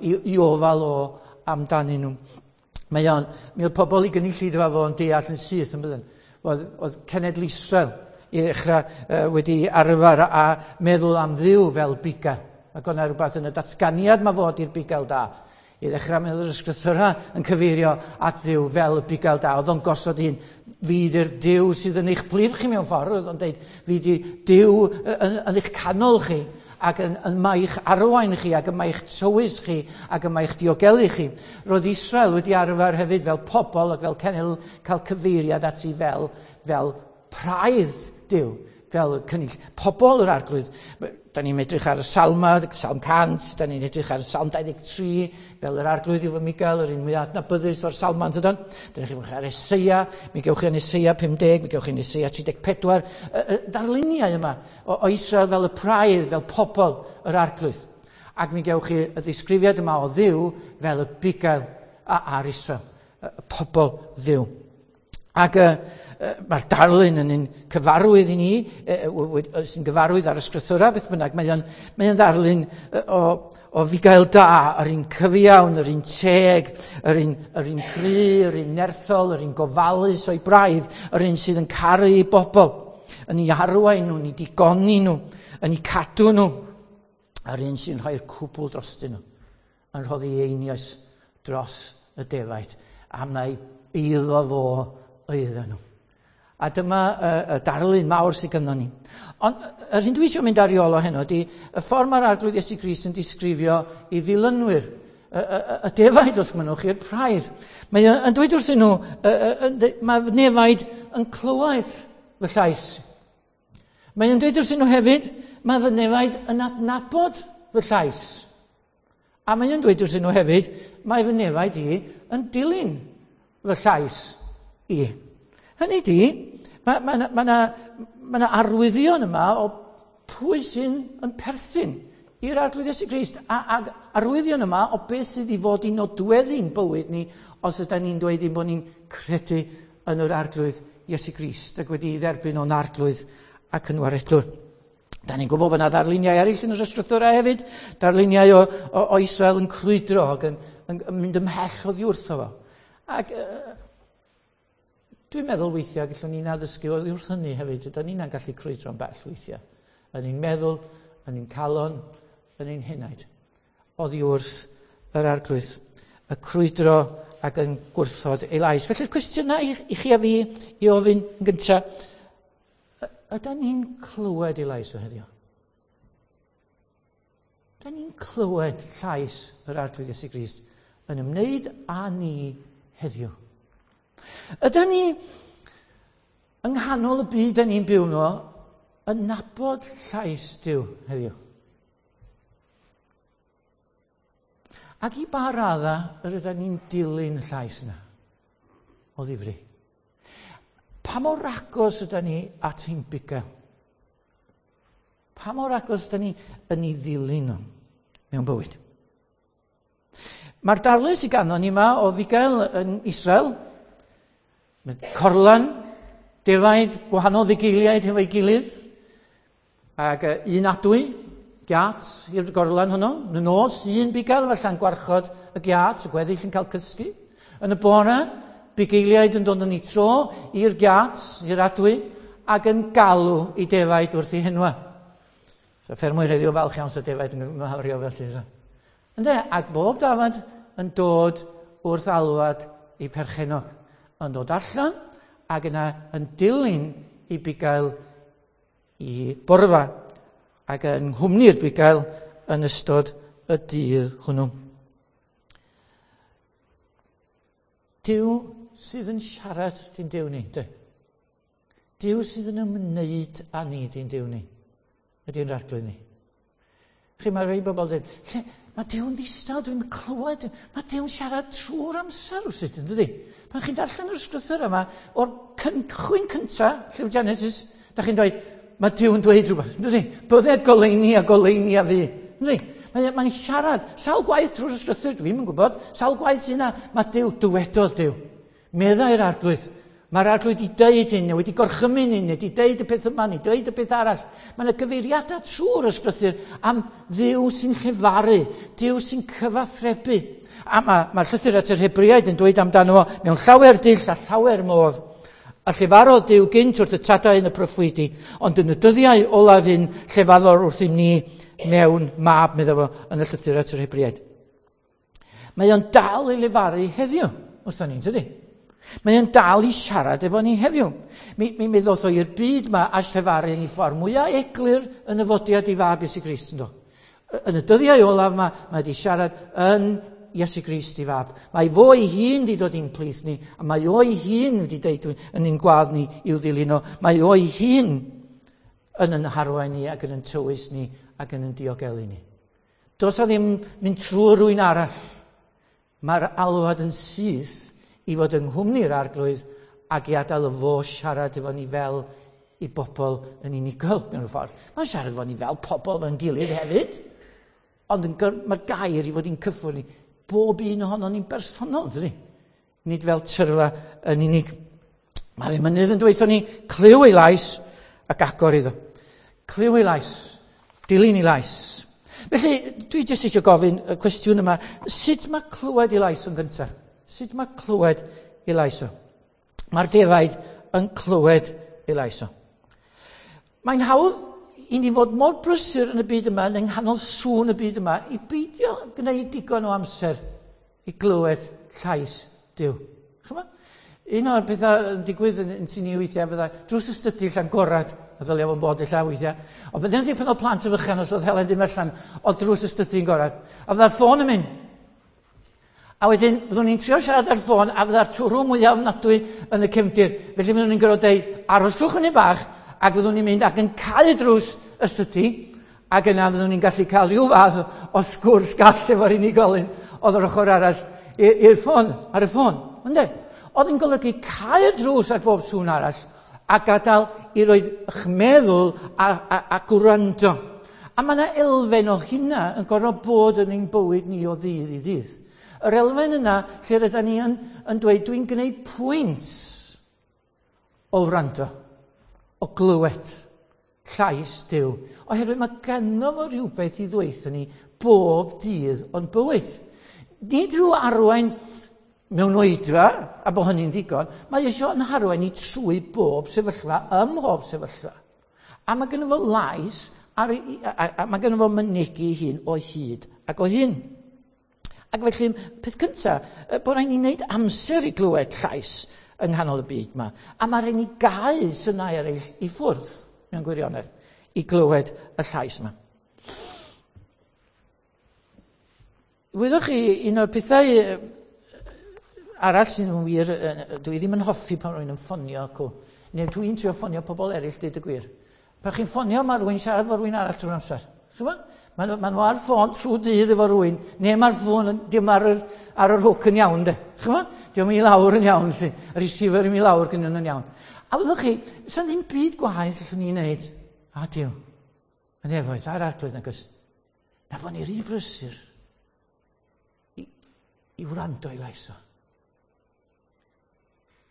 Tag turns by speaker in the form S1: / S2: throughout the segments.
S1: i, i ofal o amdanyn nhw. Mae o'n, mi oedd pobl i gynulleidfa fo yn deall yn syth yn bydden. Oedd, oedd cenedl Israel i ddechrau wedi arfer a meddwl am Dduw fel bugail. Ac o'na rhywbeth yn y datganiad mae fod i'r bugail da. I ddechrau mi oedd yr ysgrythura yn cyfeirio at Dduw fel y bugail da. Oedd o'n gosod un, fi di'r Duw sydd yn eich plith chi mewn ffordd. Oedd o'n dweud, fi di Duw yn, yn eich canol chi ac yn, yn mae'ch arwain chi ac yn mae'ch tywys chi ac yn mae'ch diogelu chi. Roedd Israel wedi arfer hefyd fel pobl ac fel cenedl cael cyfeiriad ati fel, fel praidd Duw, fel cynnull pobl yr arglwydd. Da ni'n edrych ar y salma, Salm 100, da ni'n edrych ar y Salm 23, fel yr arglwydd yw fy Miguel, yr un mwyaf adnabyddus o'r salma, yn dydan? Da ni'n edrych ar Eseia, mi gewch chi yn Eseia 50, mi gewch chi yn Eseia 34. Y, darluniau yma o, o Israel fel y praidd, fel pobl yr arglwydd. Ac mi gewch chi y ddisgrifiad yma o Dduw fel y bugail ar Israel, y pobl Dduw. Ac uh, mae'r darlun yn un cyfarwydd i ni, uh, sy'n gyfarwydd ar y sgrythura, beth bynnag, mae o'n, mae o'n ddarlun o, o fugail da, yr un cyfiawn, yr un teg, yr un, yr un cry, yr un nerthol, yr un gofalus o'i braidd, yr un sydd yn caru i bobl, yn ei arwain nhw, yn ei digoni nhw, yn ei cadw nhw, a'r un sy'n rhoi'r cwbl drostyn nhw, yn rhoddi einioes dros y defaid, am na'i eiddo fo oedden nhw. A dyma y, y darlun mawr sydd gynnon ni. Ond yr hyn dwi eisiau mynd ar ei ôl o heno ydy y ffordd mae'r Arglwydd Iesu Grist yn disgrifio i ddilynwyr, y, y, y defaid wrth mynnwch i'r praidd. Mae yn dweud wrthyn nhw, y, mae nefaid yn clywed fy llais. Mae yn dweud wrthyn nhw hefyd, mae fy nefaid yn adnabod fy llais. A mae yn dweud wrthyn nhw hefyd, mae fy nefaid i yn dilyn fy llais i. Hynny di, mae yna ma, ma, ma, ma arwyddion yma o pwy sy'n yn perthyn i'r Arglwydd Iesu Grist. A, a arwyddion yma o beth sydd i fod i nodweddu'n bywyd ni os ydyn ni'n dweud ein bod ni'n credu yn yr Arglwydd Iesu Grist ac wedi ei dderbyn o'n Arglwydd ac yn waredwr. Da ni'n gwybod bod yna ddarluniau eraill yn yr ysgrythurau hefyd, darluniau o, o, o Israel yn crwydro ac yn, yn, yn mynd ymhell oddi wrtho fo. Ac uh, dwi'n meddwl weithiau gallwn ni'n addysgu oddi wrth hynny hefyd, ydy ni'n gallu crwydro'n bell weithiau. Yn ein meddwl, yn ein calon, yn ein henaid. Oddi wrth yr arglwydd. Y crwydro ac yn gwrthod ei lais. Felly'r cwestiynau i, i chi a fi i ofyn yn gyntaf, ydy ni'n clywed ei lais o heddiw? Ydy ni'n clywed llais yr Arglwydd Iesu Grist yn ymwneud â ni heddiw? Ydy ni yng nghanol y byd da ni'n byw nhw yn nabod llais Duw heddiw? Ac i ba radda yr ydyn ni'n dilyn y llais yna o ddifri? Pa mor agos ydyn ni at ein bugail? Pa mor agos ydyn ni yn ei ddilyn nhw mewn bywyd? Mae'r darlun sydd ganddo ni yma o fugail yn Israel, mae corlan, defaid, gwahanol fugeiliaid hefo'i gilydd, ac un adwy, giat i'r gorlan hwnnw. Yn y nos, un bugail falla'n gwarchod y giat, y gweddill yn cael cysgu. Yn y bore, bugeiliaid yn dod yn ei tro i'r giat, i'r adwy, ac yn galw i defaid wrth ei henwa. So ffermwyr heddiw falch iawn sy'n defaid yn myhawrio felly. So. Ynde? Ac bob dafad yn dod wrth alwad i perchenog. Yn dod allan ac yna yn dilyn i bugail i borfa ac yn nghwmni'r bugail yn ystod y dydd hwnnw. Duw sydd yn siarad di'n Duw ni, de. Duw sydd yn ymwneud â ni di'n Duw ni, ydy'n rhaglen ni. Chi, mae rhai bobl dweud, lle, mae Duw'n ddistaw, dwi'n clywed, mae Duw'n siarad trwy'r amser wrth yn dydy? Pan chi'n darllen yr ysgrythyr yma, o'r cychwyn cynta, llyfr Genesis, da chi'n dweud, mae Duw'n dweud rhywbeth, yn dydy? Bydded goleuni a goleuni a fi, yn dydy? Mae'n mae siarad, sawl gwaith trwy'r ysgrythyr, dwi'n yn gwybod, sawl gwaith sy'n yna, mae Duw, dywedodd Duw. Meddai'r arglwydd, Mae'r Arglwydd wedi deud hyn, neu wedi gorchymyn hyn, neu wedi deud y peth yma, neu deud y peth arall. Mae yna gyfeiriadau trwy'r ysgrythur am Dduw sy'n llefaru, Duw sy'n cyfathrebu. A mae llythyr at yr Hebreaid yn dweud amdano fo mewn llawer dull a llawer modd. A llefarodd Duw gynt wrth y tadau yn y proffwydi, ond yn y dyddiau olaf hyn llefarodd wrthym ni mewn mab, medda fo, yn y llythyr at yr Hebreaid. Mae o'n dal i lefaru heddiw, wrthon ni'n tydi? Mae o'n dal i siarad efo ni heddiw. Mi ddoth o i'r byd yma a llefaru yn ei ffordd mwyaf eglur yn y fodiad i fab Iesu Grist, ynddo. Yn y dyddiau olaf yma, mae wedi siarad yn Iesu Grist i fab. Mae fo ei hun wedi dod i'n plith ni, a mae o ei hun wedi deud yn ein gwadd ni i'w ddilyn o. Mae o ei hun yn harwain ni ac yn yn tywys ni ac yn yn diogelu ni. Does a ddim mynd trwy rwy'n arall. Mae'r alwad yn syth i fod yng nghwmni'r Arglwydd ac i adael y fo siarad efo ni fel i bobl yn unigol mewn ffordd. Mae'n siarad efo ni fel pobl fe'n gilydd hefyd, ond mae'r gair i fod i'n cyffwrdd ni. Bob un ohono ni'n bersonol, dydy? Nid fel tyrfa yn unig. Mae'r emynydd yn dweud ni, clyw ei lais ac agor iddo. Clyw ei lais, dilyn ei lais. Felly, dwi jyst eisiau gofyn y cwestiwn yma, sut mae clywed ei lais yn gyntaf? Sut mae clywed ei lais o? Mae'r defaid yn clywed ei lais o. Mae'n hawdd i ni fod mor brysur yn y byd yma, yn nghanol sŵn y byd yma, i beidio gwneud digon o amser i glywed llais Duw. Chymod? Un o'r pethau yn digwydd yn sy'n ni weithiau fydda drws y stydi allan gorad, a ddylia fo'n bod illa weithiau. Ond fydde'n ddi pan oedd plant y fychan os oedd Helen ddim allan, oedd drws y stydi'n gorad. A fydda'r ffôn yn mynd. A wedyn, fyddwn ni'n trio siarad ar ffôn, a fydda'r twrw mwyaf ofnadwy yn y cefndir. Felly fyddwn ni'n gorfod deud, aroswch yn bach, ac fyddwn ni'n mynd ac yn cau drws y stydi, ac yna fyddwn ni'n gallu cael rhyw fath o sgwrs gall efo'r unigolyn oedd yr ochr arall i'r ffôn, ar y ffôn. Ynde? Oedd yn golygu cau'r drws ar bob sŵn arall a gadael i roi eich meddwl a gwrando. A mae yna elfen o hynna yn gorfod bod yn ein bywyd ni o ddydd i ddydd. Yr elfen yna lle rydyn ni yn dweud dwi'n gwneud pwynt o wrando, o glywed llais Duw. Oherwydd mae ganddo fo rhywbeth i ddweud ni bob dydd o'n bywyd. Nid rhyw arwain mewn oedfa, a bod hynny'n ddigon, mae eisiau yn harwain ni trwy bob sefyllfa, ym mhob sefyllfa. A mae gynno fo lais, a mae gynno fo mynegi hun o hyd ac o hyn. Ac felly, peth cyntaf, bod rhaid ni wneud amser i glywed llais yng nghanol y byd yma. A mae rhaid ni gau synau eraill i ffwrdd, mewn gwirionedd, i glywed y llais yma. Wyddoch chi, un o'r pethau arall sy'n wir, dwi ddim yn hoffi pan rwy'n yn ffonio acw. Neu dwi'n trio ffonio pobl eraill, dweud y gwir. Pan chi'n ffonio, mae rhywun siarad efo rhywun arall trwy'r amser. Chymod? Mae nhw ar ffôn trwy dydd efo rhywun, neu mae'r ffôn dim ar yr hook yn iawn, de. Chymod? Diolch i lawr yn iawn, lle. Y receiver i mi lawr gyda nhw'n iawn. A wyddwch chi, sa'n ddim byd gwaith allwn ni wneud. A Duw, yn efoedd, a'r Arglwydd nag oes. Na bod ni rhy brysur i wrando i lais o.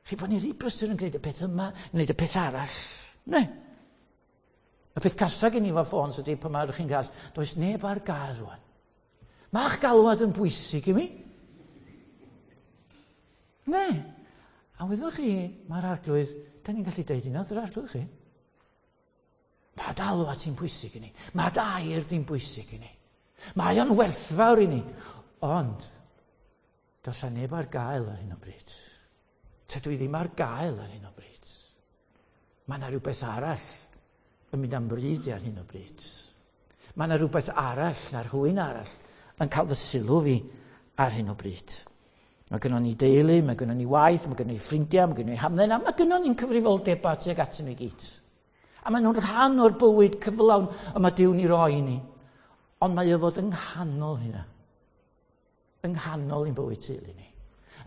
S1: Chi bod ni rhy brysur yn gwneud y peth yma, yn gwneud y peth arall. Ne. Y peth casa gen i efo ffôns ydy pan mae chi'n cael, does neb ar gael rwan. Mae'ch galwad yn bwysig i mi. Ne. A wyddwch chi, mae'r Arglwydd, da ni'n gallu deud hynna wrth yr Arglwydd chi. Mae galwad ti'n bwysig i ni. Mae dair ti'n bwysig i ni. Mae o'n werthfawr i ni. Ond, does a neb ar gael ar hyn o bryd. Tydw i ddim ar gael ar hyn o bryd. Mae yna rhywbeth arall yn mynd am bryd ar hyn o bryd. Mae yna rhywbeth arall na rhywun arall yn cael fy sylw fi ar hyn o bryd. Mae gynnon ni deulu, mae gynnon ni waith, mae gynnon ni ffrindiau, mae gynnon ni hamdden, a mae gynnon ni'n cyfrifoldebau tuag atyn nhw i gyd. A maen nhw'n rhan o'r bywyd cyflawn y mae Duw'n ei roi i ni. Ond mae o fod yng nghanol hynna. Yng nghanol ein bywyd teulu ni.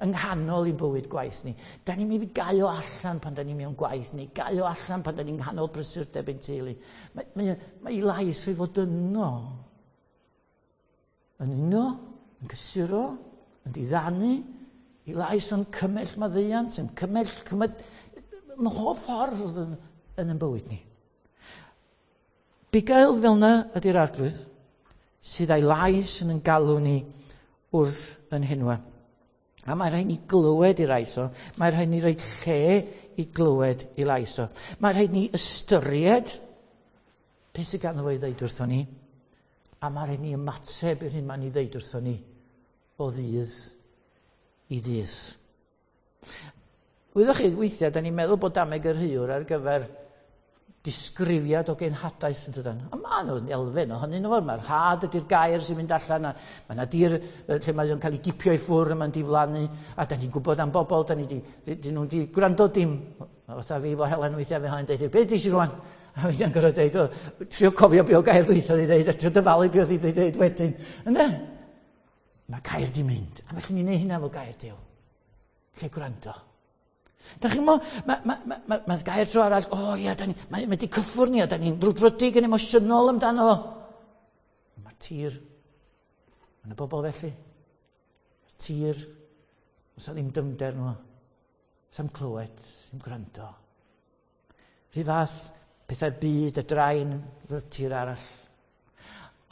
S1: Yng nghanol ein bywyd gwaith ni. Da ni'n mynd i gau o allan pan da ni mewn gwaith ni. Gau o allan pan da ni'n nghanol brysurdeb ein teulu. Mae ei lais o'i fod yno. Yn uno, yn cysuro, yn diddanu, I lais o'n cymell maddeuant, yn cymell, cymell, mhob ffordd yn yn bywyd ni. Bugail fel yna ydy'r Arglwydd, sydd â'i lais yn yn galw ni wrth yn henwa. A mae rhaid ni glywed i lais o, mae rhaid ni roi lle i glywed i lais o. Mae rhaid ni ystyried beth sydd ganddo fo i ddeud wrthon ni, a mae rhaid ni ymateb i'r hyn mae'n ei ddeud wrthon ni o ddydd i ddydd. Wyddoch chi, weithiau, da ni'n meddwl bod dameg yr heuwr ar gyfer disgrifiad o genhadaeth yn dydan. A mae nhw'n elfen ohonyn nhw. Mae'r had ydy'r gair sy'n mynd allan, a mae yna dir lle mae o'n cael ei gipio i ffwrdd a mae'n diflannu, a da ni'n gwybod am bobl, da ni di, di nhw'n di gwrando dim. Fatha fi fo Helen weithiau, fe Helen deud, be di si rwan? A fi'n gorfod deud, o, trio cofio be o gair dwytha di ddeud, a trio dyfalu be oedd i ddeud wedyn. Ynde? Mae gair di mynd. A felly ni'n neud hynna efo gair Duw. Lle gwrando. Da chi'n mo, mae ma, ma, ma, ma gair tro arall, o oh, ia, da ni, mae ma di cyffwrdd ni, a da ni'n brwdfrydig yn emosiynol amdano fo. Mae'r tir, mae yna bobl felly. Mae'r tir, oes ddim dymder nhw. Oes am clywed, ddim gwrando. Rhy fath pethau'r byd, y draen, y tir arall.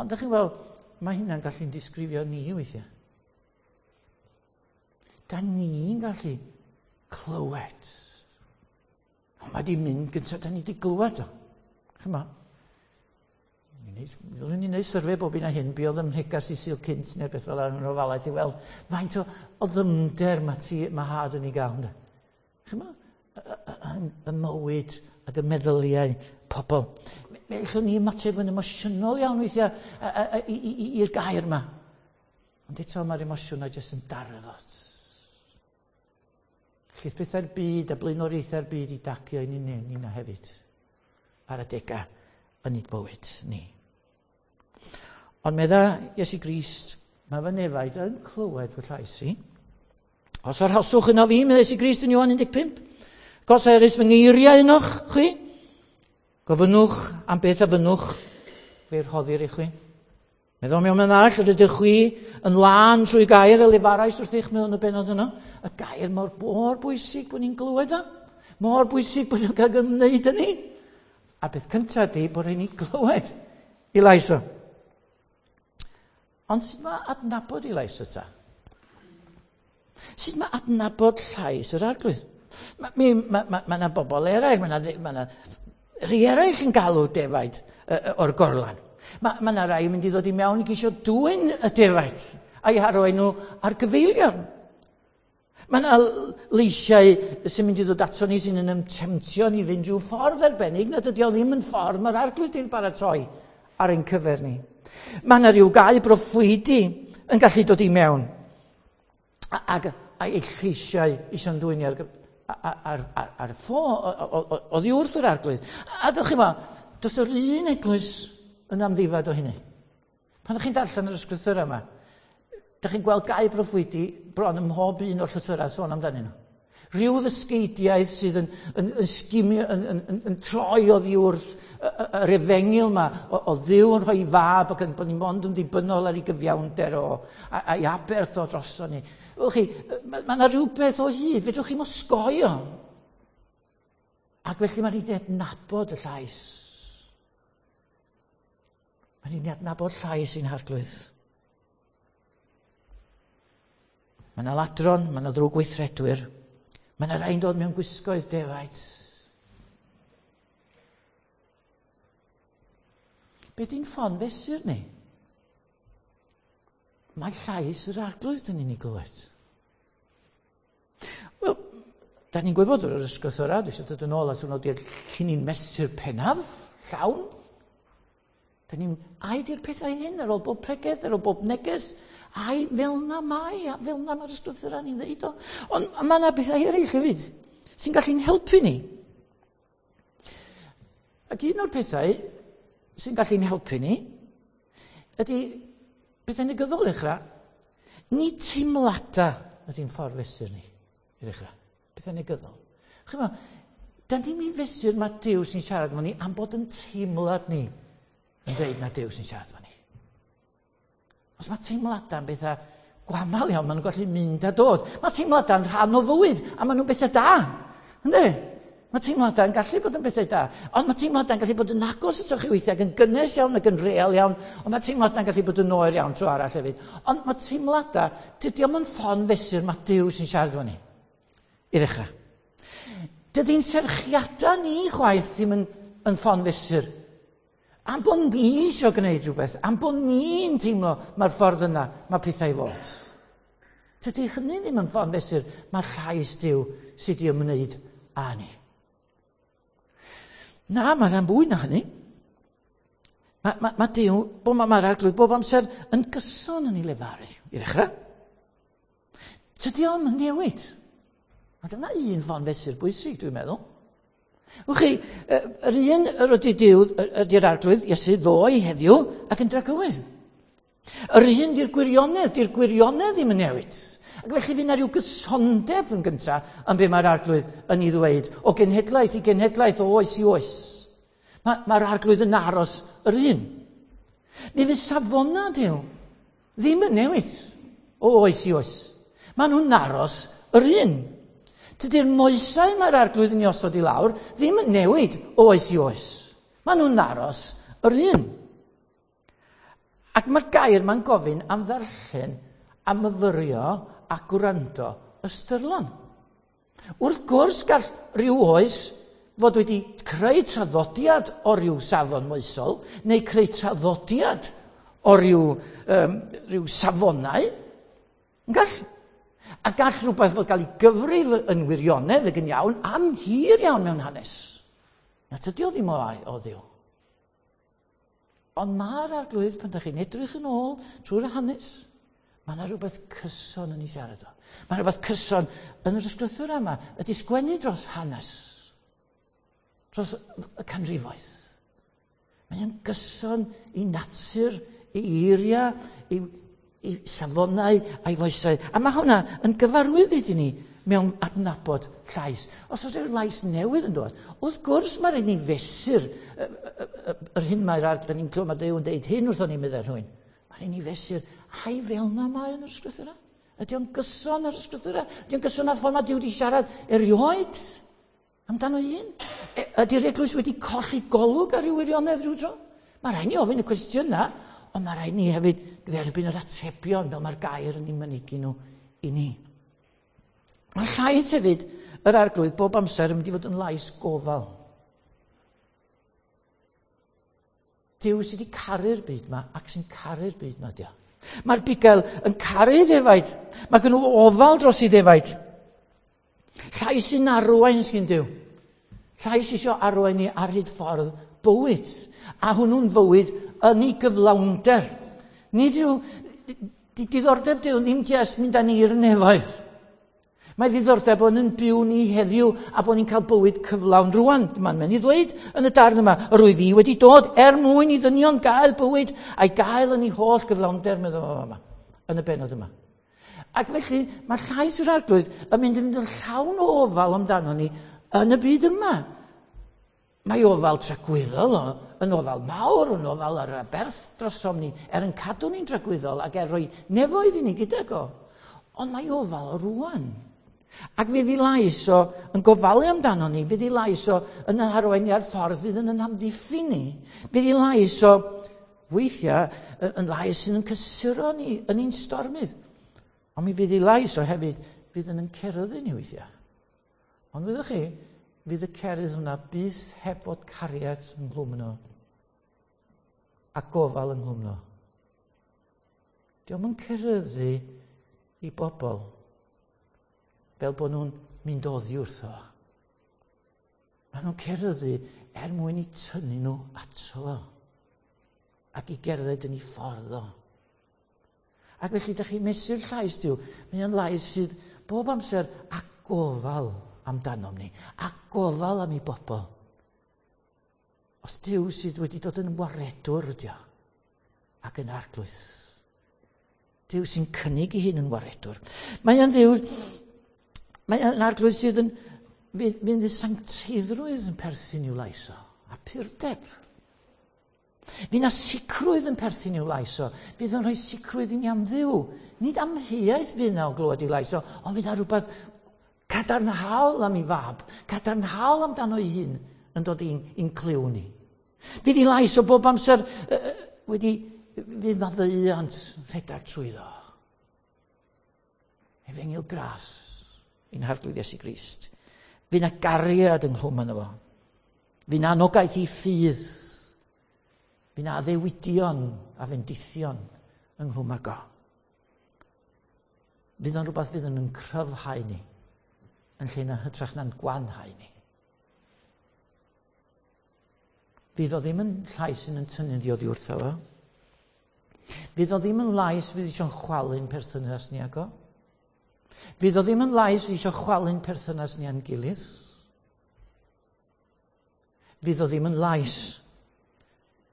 S1: Ond da chi'n gweld, mae hynna'n gallu'n disgrifio ni weithiau. Da ni'n gallu clywed. Ond mae di mynd gyntaf, da ni di glywed o. Chyma, Rwy'n ni'n neud syrfe bob un a hyn, be oedd ym mhregas i Sul cynt neu beth fel yna yn ofalaeth i weld faint o ddyfnder mae, ti, mae had yn ei gael. Chyma, y mywyd ac y meddyliau pobl. Fe allwn ni ymateb yn emosiynol iawn weithiau i'r gair yma. Ond eto mae'r emosiynau jyst yn darfod. Llith pethau'r byd a blaenoriaethau'r byd i dagio i ni nina hefyd ar adegau yn ei bywyd ni. Ond medda Iesu Grist, mae fy nefaid yn clywed fy llais i. Os arhoswch yno fi, medda Iesu Grist yn Ioan 15, gos erys fy ngeiriau ynoch chwi, gofynnwch am beth a fynnwch, fe rhoddir i chwi. Meddwl mewn man arall, yr ydych chwi yn lân trwy gair y lefarais wrthych mewn y benod yno. Y gair mor, mor bwysig bod ni'n glywed o. Mor bwysig bod nhw'n cael ymwneud â ni. A beth cyntaf di bod rhaid ni glywed i lais o. Ond sut mae adnabod i lais o ta? Sut mae adnabod llais yr Arglwydd? Mae ma, ma, ma, ma bobl eraill, mae yna ma rhai eraill yn galw defaid o'r gorlan. Mae ma yna rai yn mynd i ddod i mewn i geisio dwyn y defaid a'i harwain nhw ar gyfeilion. Mae yna leisiau sy'n mynd i ddod ato ni sy'n yn ymtemtio ni fynd rhyw ffordd arbennig nad ydy o ddim yn ffordd mae'r Arglwydd wedi'i baratoi ar ein cyfer ni. Mae yna rhyw gau broffwydi yn gallu dod i mewn ac a'i lleisiau eisiau'n dwyn ni ar, ar, ar, ar y ffo oddi wrth yr Arglwydd. A dych chi ma, does yr un eglwys yn amddifad o hynny. Pan ydych chi'n darllen yr ysgrythurau yma, ydych chi'n gweld gau broffwydi bron ym mhob un o'r llythyrau sôn amdanyn nhw. Rhyw ddysgeidiaeth sydd yn, yn, yn, sgimio, yn, yn, yn, yn troi oddi wrth yr efengyl yma o Dduw yn rhoi fab ac yn bod ni mond yn ddibynnol ar ei gyfiawnder o, a'i aberth o droso ni. Wch chi, mae yna rhywbeth o hyd, fedrwch chi'm osgoi o. Ac felly mae'n rhaid i adnabod y llais. Mae'n rhaid i adnabod llais i'n Harglwydd. Mae yna ladron, mae yna ddrwg weithredwyr. Mae yna rai'n dod mewn gwisgoedd defaid. Beth i'n ffon fesur ni? Mae llais yr Arglwydd yn ni'n ei glywed. Wel, da ni'n gwybod o'r ysgrythura, dwi eisiau dod yn ôl at hwnnw, di'r llinyn mesur pennaf, llawn. Da ni'n, ai di'r pethau hyn ar ôl bob pregeth, ar ôl bob neges, ai fel na mae, a fel na mae'r ysgrythura ni'n ddeud o. Ond mae yna bethau eraill hefyd sy'n gallu'n helpu ni. Ac un o'r pethau sy'n gallu'n helpu ni ydy bethau negyddol i ddechrau. Ni teimladau ydy'n ffordd fesur ni i ddechrau. Bethau negyddol. Chyma, da ni'n mynd fesur mae Duw sy'n siarad efo ni am bod yn teimlad ni yn dweud na Duw sy'n siarad efo ni. Os mae teimladau yn bethau Gwamal iawn, maen nhw'n gallu mynd a dod. Mae teimladau'n rhan o fywyd, a maen nhw'n bethau da. Ynddi? Mae teimladau'n gallu bod yn bethau da, ond mae teimladau'n gallu bod yn agos atoch chi weithiau, ac yn gynnes iawn ac yn real iawn, ond mae teimladau'n gallu bod yn oer iawn tro arall hefyd. Ond mae teimladau, dydy o'm yn ffon fesur, mae Duw sy'n siarad efo ni. I ddechrau. Dydy'n serchiadau ni chwaith ddim yn ffon fesur. Am bod ni eisiau gwneud rhywbeth, am bod ni'n teimlo mae'r ffordd yna, mae pethau i fod. Tydy hynny ddim yn ffordd mesur, mae llais Duw sydd wedi ymwneud â ni. Na, mae rhan fwy na hynny. Mae Duw, mae'r Arglwydd bob amser yn gyson yn ei lefaru, i ddechrau. Tydy o'm yn newid. A dyna un ffon fesur bwysig, dwi'n meddwl. Wch chi, yr un yr ydy Duw, ydy'r Arglwydd, Iesu ddoe heddiw, ac yn dragywydd. Yr un di'r gwirionedd, di'r gwirionedd ddim yn newid. Ac felly fydd yna rhyw gysondeb yn gyntaf yn be mae'r Arglwydd yn ei ddweud, o genhedlaeth i genhedlaeth, o oes i oes. Mae'r Arglwydd yn aros yr un. Mi fydd safonau Duw ddim yn newid o oes i oes. Maen nhw'n aros yr un. Tydi'r moesau mae'r Arglwydd yn ei osod i lawr ddim yn newid o oes i oes. Maen nhw'n aros yr un. Ac mae'r gair ma'n gofyn am ddarllen, a myfyrio a gwrando ystyrlon. Wrth gwrs gall rhyw oes fod wedi creu traddodiad o ryw safon moesol, neu creu traddodiad o ryw safonau. Yn gall. A gall rhywbeth fod gael ei gyfrif yn wirionedd ac yn iawn am hir iawn mewn hanes. Na tydi o ddim o Dduw. Ond mae'r Arglwydd, pan ydych chi'n edrych yn ôl trwy'r hanes, mae yna rhywbeth cyson yn ei siarad o. Mae rhywbeth cyson yn yr ysgrythura yma, ydy sgwennu dros hanes, dros y canrifoedd. Mae o'n gyson i natur, i eiriau, i safonau a'i foesau. A mae hwnna yn gyfarwydd i ni mewn adnabod llais. Os oes rhyw lais newydd yn dod, wrth gwrs mae rhaid ni fesur yr hyn mae'r arglwydd, da ni'n clywed mae Duw yn deud hyn wrthon ni, meddai rhywun. Mae rhaid ni fesur, ai fel na mae yn yr ysgrythura? Ydy o'n gyson ar ysgrythura? Ydy o'n gyson ar ffordd mae Duw wedi siarad erioed amdano un? Ydy'r eglwys wedi colli golwg ar ryw wirionedd rhyw dro? Mae rhaid ni ofyn y cwestiynau, ond mae rhaid ni hefyd dderbyn yr atebion fel mae'r gair yn ei mynegi nhw i ni. Mae llais hefyd yr Arglwydd bob amser yn mynd i fod yn lais gofal. Duw sydd wedi caru'r byd yma ac sy'n caru'r byd yma, dio. Mae'r bugail yn caru ddefaid. Mae gen nhw ofal dros ei ddefaid. Llais sy'n arwain sy'n Duw. Llais eisiau arwain ni ar hyd ffordd bywyd. A hwnnw'n fywyd yn ei gyflawnder. Nid yw diddordeb Duw ddim jyst mynd â ni i'r nefoedd. Mae ddiddordeb bod yn byw ni heddiw a bod ni'n cael bywyd cyflawn rwan. Mae'n mynd i ddweud yn y darn yma, yr oedd i wedi dod er mwyn i ddynion gael bywyd a'i gael yn ei holl gyflawnder, meddwl fo yma, yn y bennod yma. Ac felly mae llais yr Arglwydd yn mynd yn llawn o ofal amdano ni yn y byd yma. Mae ofal tragwyddol yn ofal mawr, yn ofal ar aberth drosom ni, er yn cadw ni'n tragwyddol ac er rhoi nefoedd i ni gydag o. Ond mae ofal o rwan. Ac fydd ei lais o yn gofalu amdano ni, fydd ei lais o yn arwain ni ar ffordd fydd yn amddiffyn ni. Fydd ei lais o weithiau yn lais sydd yn cysuro ni yn ein stormydd. Ond mi fydd ei lais o hefyd fydd yn ceryddu ni weithiau. Ond fyddwch chi, fydd y cerydd hwnna byth heb fod cariad ynghlwm yno a gofal ynghlwm yno. Dio'm yn ceryddu i bobl fel bod nhw'n mynd oddi wrtho. Maen nhw'n ceryddu er mwyn i tynnu nhw ato fo ac i gerdded yn ei ffordd o. Ac felly, ydych chi'n mesur llais Duw, mae o'n lais sydd bob amser a gofal amdanom ni, a gofal am ei bobl. Os Duw sydd wedi dod yn waredwr ydi o, ac yn arglwydd. Duw sy'n cynnig ei hun yn waredwr. Mae o'n Dduw, mae o'n arglwydd sydd yn fynd i sancteiddrwydd yn perthyn i'w lais o, a purdeb. Fydd na sicrwydd yn perthyn i'w lais o. Fydd o'n rhoi sicrwydd i ni am Dduw. Nid amheuaeth fydd na o glywed ei lais o, ond fydd na rhywbeth cadarnhaol am ei fab, cadarnhaol amdano ei hun yn dod i'n clyw ni. Fydd ei lais o bob amser wedi, fydd na ddeuant rhedeg trwyddo. Efengyl gras i'n Harglwydd Iesu Grist. Fydd na gariad ynghlwm yno fo. Fydd na anogaeth i ffydd. Fydd na addewidion a fendithion ynghlwm ag o. Fydd o'n rhywbeth fydd yn cryfhau ni yn lle na hytrach na'n gwanhau ni. Fydd o ddim yn llais sy'n yn tynnu di oddi wrtho fo. Fydd o ddim yn lais fydd eisiau'n chwalu'n perthynas ni ag o. Fydd o ddim yn lais fydd eisiau chwalu'n perthynas ni â'n gilydd. Fydd o ddim yn lais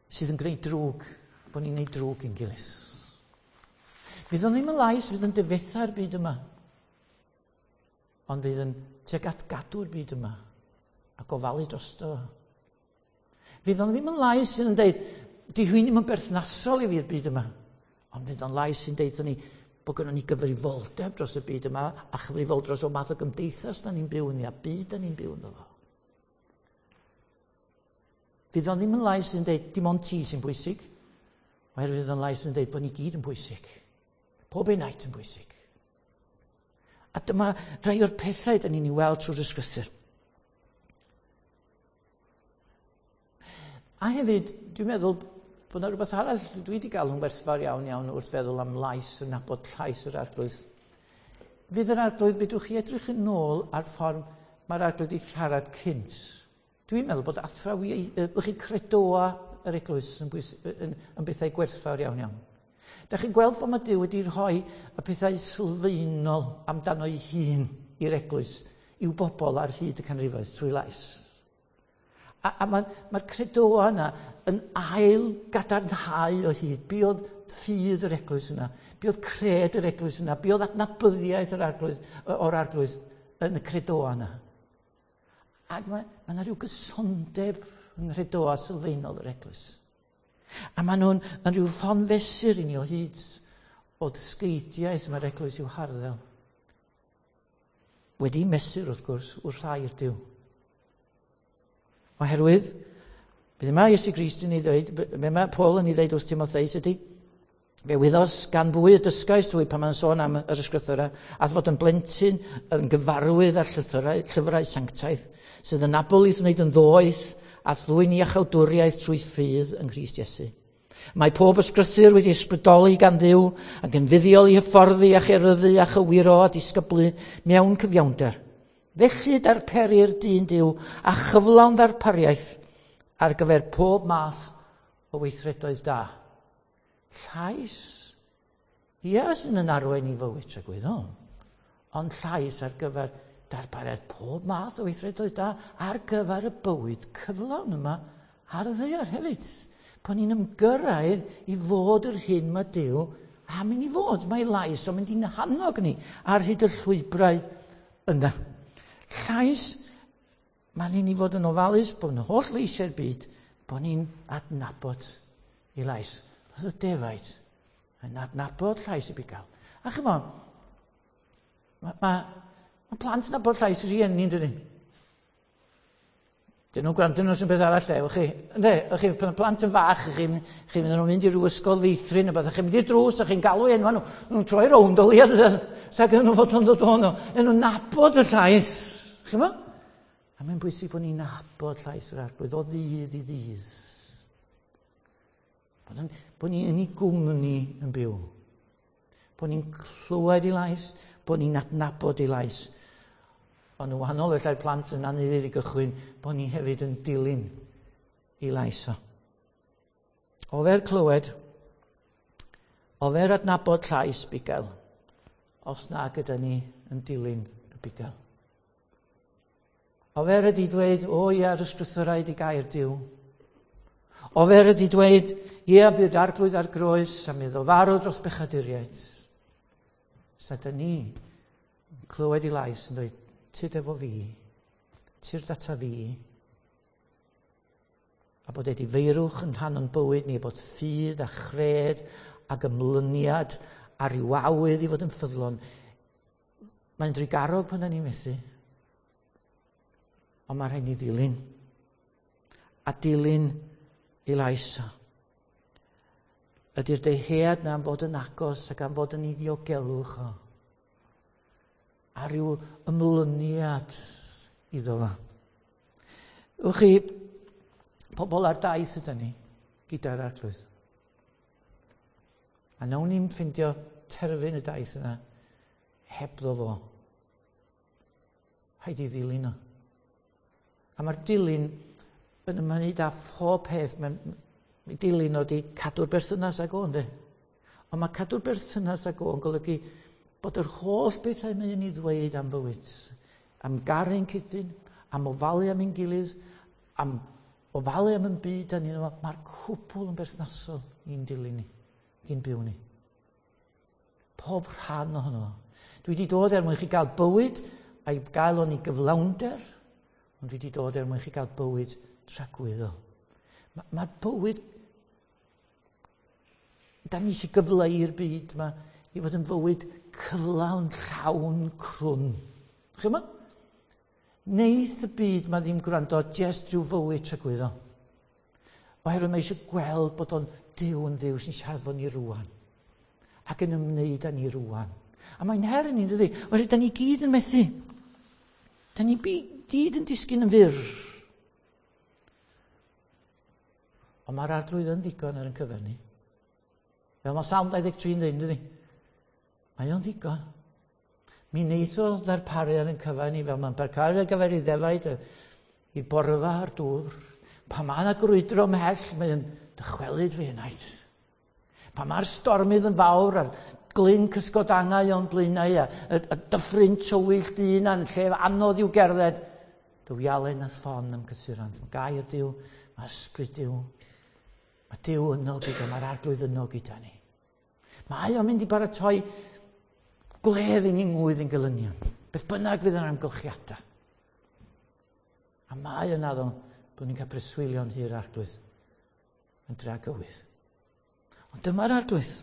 S1: sydd yn gwneud drwg, bod ni'n gwneud drwg i'n gilydd. Fydd o ddim yn lais fydd yn difetha'r byd yma, ond fydd yn tuag at gadw'r byd yma a gofalu drosto fo. Fydd o'n ddim yn lais sydd yn deud, di hwyn ddim yn berthnasol i fi'r byd yma. Ond fydd o'n lais sy'n deud ni bod gynnon ni gyfrifoldeb dros y byd yma a chyfrifoldeb dros o math o gymdeithas da ni'n byw ynddi a byd da ni'n byw ynddo fo. Fydd o'n ddim yn lais sy'n deud dim ond ti sy'n bwysig, oherwydd fydd o'n lais sy'n deud bod ni gyd yn bwysig. Pob enaid yn bwysig. A dyma rai o'r pethau da ni'n ei weld trwy'r ysgrythur. A hefyd, dwi'n meddwl bod yna rhywbeth arall dwi wedi gael yn werthfawr iawn iawn wrth feddwl am lais yn nabod llais yr Arglwydd. Fydd yr Arglwydd, fedrwch chi edrych yn ôl ar ffordd mae'r Arglwydd wedi siarad cynt. Dwi'n meddwl bod athrawiaeth, chi credoa yr eglwys yn, bwys, yn, yn bethau gwerthfawr iawn iawn. Da chi'n gweld fod mae Duw wedi rhoi y pethau sylfaenol amdano ei hun i'r eglwys, i'w bobl ar hyd y canrifoedd trwy lais. A mae'r ma credoa yna yn ail gadarnhau o hyd. Be oedd ffydd yr eglwys yna? Be oedd cred yr eglwys yna? Be oedd adnabyddiaeth yr arglwydd, o'r arglwydd yn y credoa yna? Ac mae yna rhyw gysondeb yng nghredoa sylfaenol yr eglwys. A maen nhw'n yn rhyw ffon fesur i ni o hyd o ddysgeidiaeth mae'r eglwys i'w harddel. Wedi mesur, wrth gwrs, wrth air Duw. Oherwydd, beth mae Iesu Grist yn ei ddweud, be mae Paul yn ei ddweud wrth Timotheus ydy, fe wyddos gan fwy y dysgais trwy pan mae'n sôn am yr ysgrythurau, a fod yn blentyn yn gyfarwydd â'r llythyrau, llyfrau sanctaidd, sydd yn abl i'th wneud yn ddoeth a ddwyn iachawdwriaeth trwy ffydd yng Nghrist Iesu. Mae pob ysgrythur wedi ysbrydoli gan Dduw ac yn fuddiol i hyfforddi a cheryddu a chywiro a disgyblu mewn cyfiawnder. Felly darperir dyn Duw a chyflawn ddarpariaeth ar gyfer pob math o weithredoedd da. Llais, ia, sy'n yn arwain i fywyd tragwyddol, ond llais ar gyfer darpariaeth pob math o weithredoedd da ar gyfer y bywyd cyflawn yma ar y ddaear hefyd. Pan ni'n ymgyrraedd i fod yr hyn mae Duw am i ni fod. Mae lais o'n mynd i'n hannog ni ar hyd y llwybrau yna. Llais, mae'n i ni fod yn ofalus bod yn holl leisiau'r byd, bod ni'n adnabod ei lais. Oedd y defaid yn adnabod llais y bugail. A chymod, mae ma, ma plant yn nabod llais y rhieni, yn dydyn? Dyn nhw'n gwrando nhw sy'n beth arall, de, chi. Ynde, chi, pan y plant yn fach, chi'n chi mynd nhw'n mynd i ryw ysgol feithrin, neu beth, chi'n mynd i'r drws, a chi'n galw enwa nhw, nhw'n troi rownd o leia, sa gyda nhw fod yn dod o'n nhw. Nhw'n nabod y llais, chi'n mo? A mae'n bwysig bod ni'n nabod llais yr Arglwydd o ddydd i ddydd. Bod ni yn ei gwmni yn byw. Bod ni'n clywed ei lais, bod ni'n adnabod ei lais. Ond yn wahanol felly'r plant yn anufudd i gychwyn, bod ni hefyd yn dilyn ei lais o. Ofer clywed, ofer adnabod llais bugail, os na gyda ni yn dilyn y bugail. Ofer ydi dweud, o ia, yr ysgrythurau ydi gair Duw. Ofer ydi dweud, ia, bydd arglwydd ar groes a mi iddo farw dros bechaduriaid. Sa da ni yn clywed ei lais yn dweud, tyd efo fi, tyrd ata fi. A bod edifeirwch yn rhan o'n bywyd ni, bod ffydd a chred ac ymlyniad a rhyw awydd i fod yn ffyddlon. Mae'n drugarog pan da ni'n methu. Ond mae rhaid ni ddilyn. A dilyn ei lais o. Ydy'r dyhead na am fod yn agos ac am fod yn ei ddiogelwch o. A rhyw ymlyniad iddo fo. Wch chi, pobl ar daith ydyn ni gyda'r Arglwydd. A nawn ni'n ffindio terfyn y daith yna hebddo fo. Rhaid i ddilyn o. A mae'r dilyn yn ymwneud â phob peth. Mae'n dilyn o di cadw'r berthynas ag o, ynddi? Ond mae cadw'r berthynas ag o yn golygu bod yr holl bethau mae'n ei ddweud am bywyd, am garu'n cydyn, am ofalu am ein gilydd, am ofalu am yn byd a ni, mae'r cwbl yn berthnasol i'n dilyn ni, i'n byw ni. Pob rhan ohono fo. Dwi wedi dod er mwyn chi gael bywyd a'i gael o'n i gyflawnder, ond dwi wedi dod er mwyn chi gael bywyd tragwyddol. Mae'r ma bywyd, da ni eisiau gyfleu i'r byd yma i fod yn fywyd cyflawn, llawn, crwn. Chi yma? Neith y byd ma ddim gwrando jest rhyw fywyd tragwyddol. Oherwydd mae eisiau gweld bod o'n Duw yn Dduw sy'n siarad fo ni rwan. Ac yn ymwneud â ni rwan. A mae'n her i ni, dydy? Oherwydd da ni gyd yn methu. Da ni gyd yn disgyn yn fyr. Ond mae'r Arglwydd yn ddigon ar ein cyfer ni. Fel mae Salm 23 yn dweud, dydy? Mae o'n ddigon. Mi wneith o ddarparu ar ein cyfer ni fel mae'n darparu ar gyfer ei ddefaid, i borfa a'r dŵr. Pa mae yna grwydro ymhell, mae'n dychwelyd fi enaid. Pa mae'r stormydd yn fawr a'r glyn cysgod angau o'n blaenau a y dyffryn tywyll dyn a'n lle anodd i'w gerdded, dy wialen a ffon am cysurant. Mae gair Duw, mae ysbryd Duw. Mae Duw yno gyda, mae'r Arglwydd yno gyda ni. Mae o'n mynd i baratoi gwledd i ni ngwydd yn gylynion. Beth bynnag fydd yn amgylchiadau. A mae yna ddo bod ni'n cael preswylio'n hir Arglwydd yn dragywydd. Ond dyma'r Arglwydd.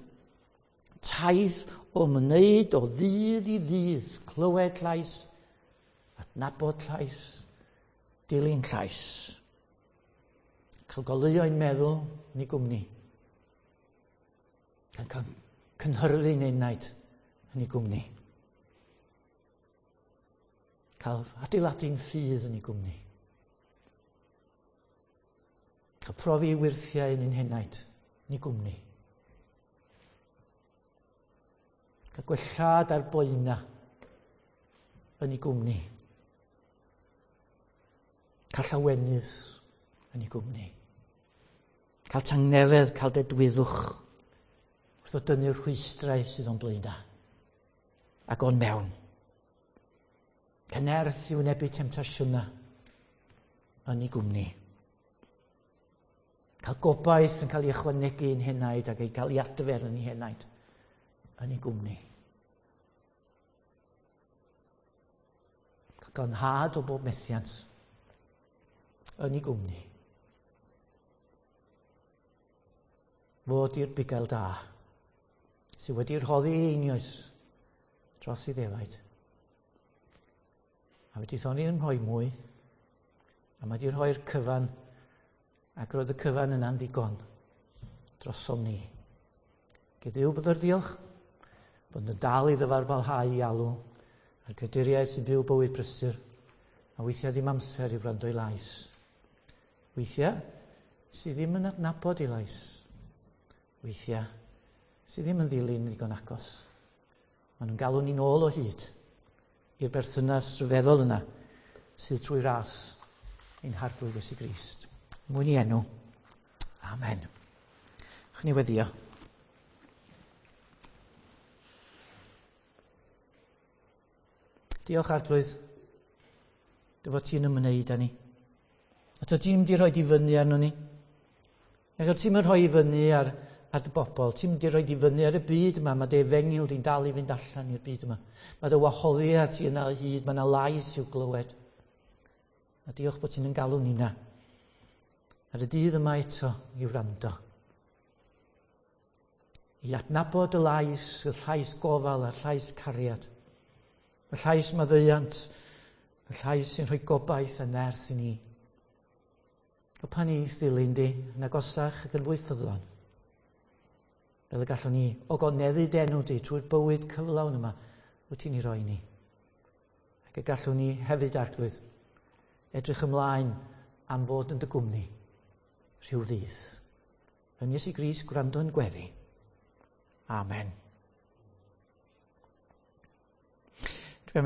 S1: Taith o ymwneud o ddydd i ddydd, clywed llais, adnabod llais, dilyn llais. Cael goleuo ein meddwl yn ei gwmni. Cael cynhyrfu'n enaid yn ei gwmni. Cael adeiladu'n ffydd yn ei gwmni. Cael profi ei wyrthiau yn ein henaid yn ei gwmni. Cael gwellhad ar boena yn ei gwmni. Cael llawenydd yn ei gwmni. Cael tangnefedd, cael dedwyddwch wrth o dynnu'r rhwystrau sydd o'n blaenau ac o'n mewn. Cynerth i wynebu temtasiynau yn ei gwmni. Cael gobaith yn cael ei ychwanegu i'n henaid ac ei cael ei adfer yn ei henaid yn ei gwmni. Cael glanhad o bob methiant yn ei gwmni. Fod i'r bugail da sydd wedi rhoddi ei einioes dros ei ddefaid. A wedi thoni yn rhoi mwy, a mae wedi rhoi'r cyfan, ac roedd y cyfan yna'n ddigon drosom ni. Gyd Dduw bod yr diolch, bod yn dal i ddyfarbalhau i alw, a'r creaduriaid sy'n byw bywyd brysur, a weithiau ddim amser i wrando i lais. Weithiau sydd ddim yn adnabod i lais. Weithiau sydd ddim yn ddilyn ddigon agos. Maen nhw'n galw ni'n ôl o hyd i'r berthynas rhyfeddol yna sydd trwy ras ein Harglwydd Iesu Grist. Mwyn i enw. Amen. Chwn ni weddio. Diolch Arglwydd, dy fod ti'n ymwneud â ni. A dy ti'n mynd i rhoi i fyny arno ni. Ac o ti'n mynd rhoi i fyny ar dy bobl, ti'n mynd i rhoi i fyny ar y byd yma, mae dy efengyl di'n dal i fynd allan i'r byd yma. Mae dy wahoddiad ti yna o hyd, mae yna lais i'w glywed. A diolch bod ti'n yn galw ni na. Ar y dydd yma eto i wrando. I adnabod y lais, y llais gofal a'r llais cariad. Y llais maddeuant, y llais sy'n rhoi gobaith a nerth i ni. Helpa ni i'th ddilyn di, yn agosach ac yn fwy ffyddlon. Fel y gallwn ni ogoneddu dy enw di trwy'r bywyd cyflawn yma wyt ti'n ei roi ni. Ac y gallwn ni hefyd, Arglwydd, edrych ymlaen am fod yn dy gwmni rhyw ddydd. Yn Iesu Grist gwrando yn gweddi. Amen.